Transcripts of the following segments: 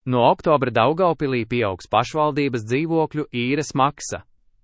No oktobra Daugavpilī pieaugs pašvaldības dzīvokļu īres maksa.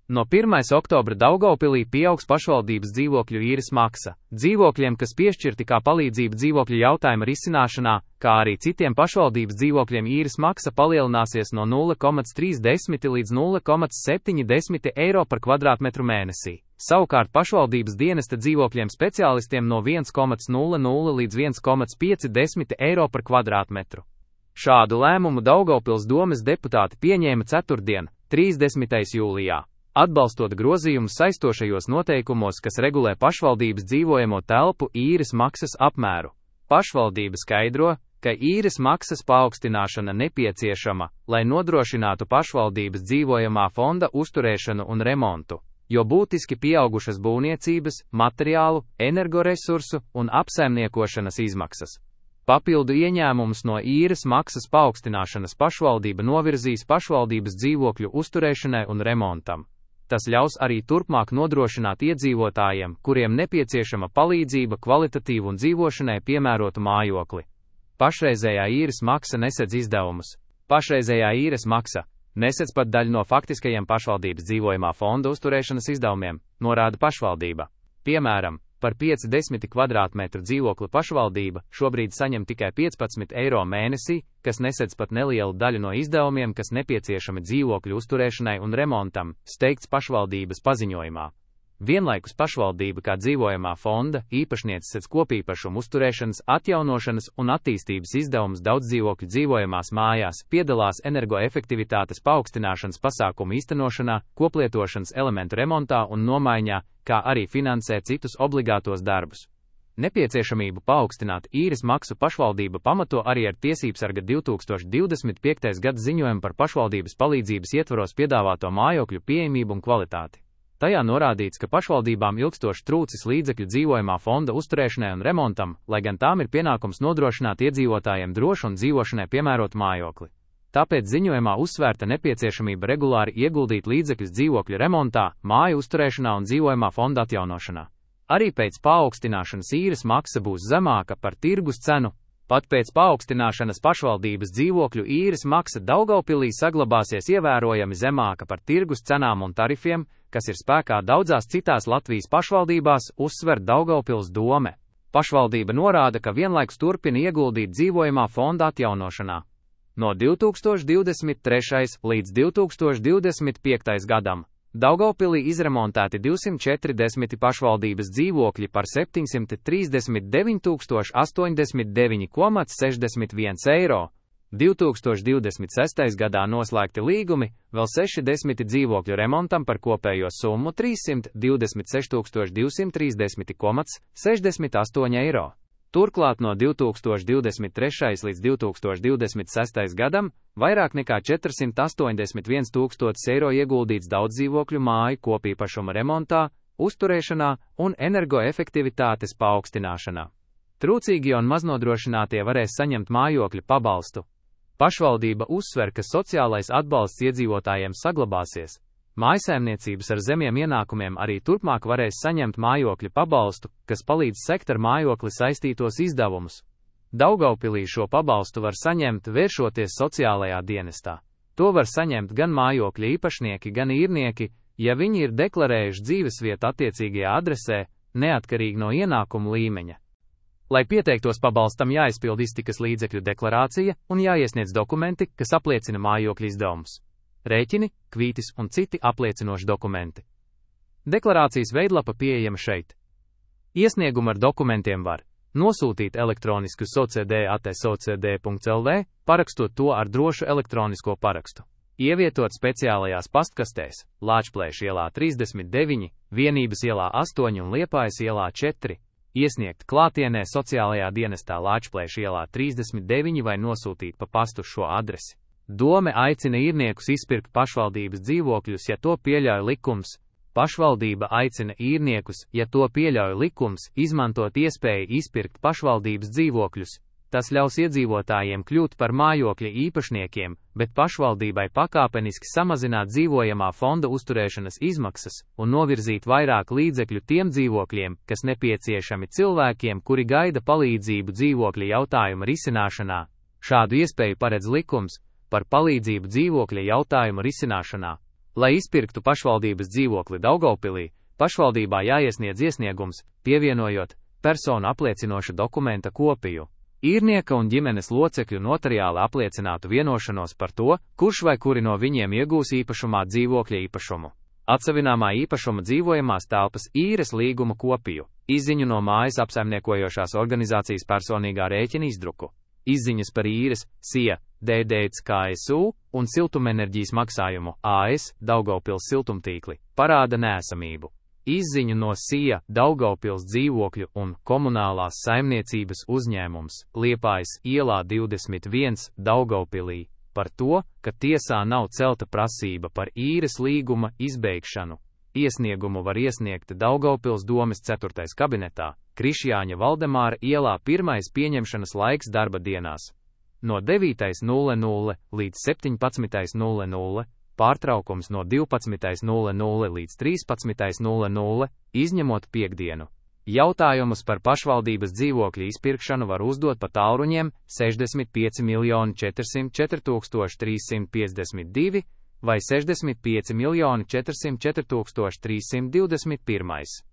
No 1. oktobra Daugavpilī pieaugs pašvaldības dzīvokļu īres maksa. Dzīvokļiem, kas piešķirti kā palīdzība dzīvokļu jautājuma risināšanā, kā arī citiem pašvaldības dzīvokļiem īres maksa palielināsies no 0,30 līdz 0,70 eiro par kvadrātmetru mēnesī. Savukārt pašvaldības dienesta dzīvokļiem speciālistiem no 1,00 līdz 1,50 eiro par kvadrātmetru. Šādu lēmumu Daugavpils domes deputāti pieņēma ceturtdien, 30. jūlijā, atbalstot grozījumus saistošajos noteikumos, kas regulē pašvaldības dzīvojamo telpu īres maksas apmēru. Pašvaldība skaidro, ka īres maksas paaugstināšana nepieciešama, lai nodrošinātu pašvaldības dzīvojamā fonda uzturēšanu un remontu, jo būtiski pieaugušas būvniecības, materiālu, energoresursu un apsaimniekošanas izmaksas. Papildu ieņēmumus no īres maksas paaugstināšanas pašvaldība novirzīs pašvaldības dzīvokļu uzturēšanai un remontam. Tas ļaus arī turpmāk nodrošināt iedzīvotājiem, kuriem nepieciešama palīdzība kvalitatīvu un dzīvošanai piemērotu mājokli. Pašreizējā īres maksa nesedz izdevumus. Pašreizējā īres maksa nesedz pat daļu no faktiskajiem pašvaldības dzīvojamā fonda uzturēšanas izdevumiem, norāda pašvaldība. Piemēram, par 50 kvadrātmetru dzīvokli pašvaldība šobrīd saņem tikai 15 eiro mēnesī, kas nesedz pat nelielu daļu no izdevumiem, kas nepieciešami dzīvokļu uzturēšanai un remontam, steigts pašvaldības paziņojumā. Vienlaikus pašvaldība kā dzīvojamā fonda īpašniece sedz kopīpašumu uzturēšanas, atjaunošanas un attīstības izdevumus daudzdzīvokļu dzīvojamās mājās, piedalās energoefektivitātes paaugstināšanas pasākumu īstenošanā, koplietošanas elementu remontā un nomaiņā, kā arī finansē citus obligātos darbus. Nepieciešamību paaugstināt īres maksu pašvaldība pamato arī ar Tiesībsarga 2025. gada ziņojumu par pašvaldības palīdzības ietvaros piedāvāto mājokļu pieejamību un kvalitāti. Tajā norādīts, ka pašvaldībām ilgstoši trūcis līdzekļu dzīvojamā fonda uzturēšanai un remontam, lai gan tām ir pienākums nodrošināt iedzīvotājiem drošu un dzīvošanai piemērotu mājokli. Tāpēc ziņojumā uzsvērta nepieciešamība regulāri ieguldīt līdzekļus dzīvokļu remontā, māju uzturēšanā un dzīvojamā fonda atjaunošanā. Arī pēc paaugstināšanas īres maksa būs zemāka par tirgus cenu. Pat pēc paaugstināšanas pašvaldības dzīvokļu īres maksa Daugavpilī saglabāsies ievērojami zemāka par tirgus cenām un tarifiem, kas ir spēkā daudzās citās Latvijas pašvaldībās, uzsver Daugavpils dome. Pašvaldība norāda, ka vienlaikus turpina ieguldīt dzīvojamā fonda atjaunošanā. No 2023. līdz 2025. gadam Daugavpilī izremontēti 240 pašvaldības dzīvokļi par 739 089,61 eiro. 2026. gadā noslēgti līgumi, vēl 60 dzīvokļu remontam par kopējo summu 326 230,68 eiro. Turklāt no 2023. līdz 2026. gadam vairāk nekā 481 000 eiro ieguldīts daudzdzīvokļu māju kopīpašuma remontā, uzturēšanā un energoefektivitātes paaugstināšanā. Trūcīgie un maznodrošinātie varēs saņemt mājokļu pabalstu. Pašvaldība uzsver, ka sociālais atbalsts iedzīvotājiem saglabāsies. Mājsaimniecības ar zemiem ienākumiem arī turpmāk varēs saņemt mājokļu pabalstu, kas palīdz sekt ar mājokli saistītos izdevumus. Daugavpilī šo pabalstu var saņemt, vēršoties sociālajā dienestā. To var saņemt gan mājokļa īpašnieki, gan īrnieki, ja viņi ir deklarējuši dzīvesvietu attiecīgajā adresē, neatkarīgi no ienākumu līmeņa. Lai pieteiktos pabalstam, jāizpild iztikas līdzekļu deklarācija un jāiesniedz dokumenti, kas apliecina mājokļa izdevumus. Rēķini, kvītis un citi apliecinoši dokumenti. Deklarācijas veidlapa pieejama šeit. Iesniegumu ar dokumentiem var nosūtīt elektronisku socd@socd.lv, parakstot to ar drošu elektronisko parakstu. Ievietot speciālajās pastkastēs Lāčplēša ielā 39, Vienības ielā 8 un Liepājas ielā 4. Iesniegt klātienē sociālajā dienestā Lāčplēša ielā 39 vai nosūtīt pa pastu šo adresi. Dome aicina īrniekus izpirkt pašvaldības dzīvokļus, ja to pieļauj likums. Pašvaldība aicina īrniekus, ja to pieļauj likums, izmantot iespēju izpirkt pašvaldības dzīvokļus. Tas ļaus iedzīvotājiem kļūt par mājokļa īpašniekiem, bet pašvaldībai pakāpeniski samazināt dzīvojamā fonda uzturēšanas izmaksas un novirzīt vairāk līdzekļu tiem dzīvokļiem, kas nepieciešami cilvēkiem, kuri gaida palīdzību dzīvokļa jautājuma risināšanā. Šādu iespēju paredz likums, par palīdzību dzīvokļa jautājuma risināšanā. Lai izpirktu pašvaldības dzīvokli Daugavpilī, pašvaldībā jāiesniedz iesniegums, pievienojot personu apliecinoša dokumenta kopiju. Īrnieka un ģimenes locekļu notariāli apliecinātu vienošanos par to, kurš vai kuri no viņiem iegūs īpašumā dzīvokļa īpašumu. Atsevināmā īpašuma dzīvojamās telpas īres līguma kopiju, izziņu no mājas apsaimniekojošās organizācijas personīgā rēķina izdruku, izziņas par īres, SIA, DDC KSU un siltumenerģijas maksājumu AS Daugavpils siltumtīkli parāda nēsamību. Izziņu no SIA Daugavpils dzīvokļu un komunālās saimniecības uzņēmums Liepājas ielā 21 Daugavpilī par to, ka tiesā nav celta prasība par īres līguma izbeigšanu. Iesniegumu var iesniegt Daugavpils domes 4. kabinetā, Krišjāņa Valdemāra ielā 1. pieņemšanas laiks darba dienās. No 9:00 līdz 17:00, pārtraukums no 12:00 līdz 13:00, izņemot piekdienu. Jautājumus par pašvaldības dzīvokļu izpirkšanu var uzdot pa tālruņiem 65 404 352 vai 65 404 321.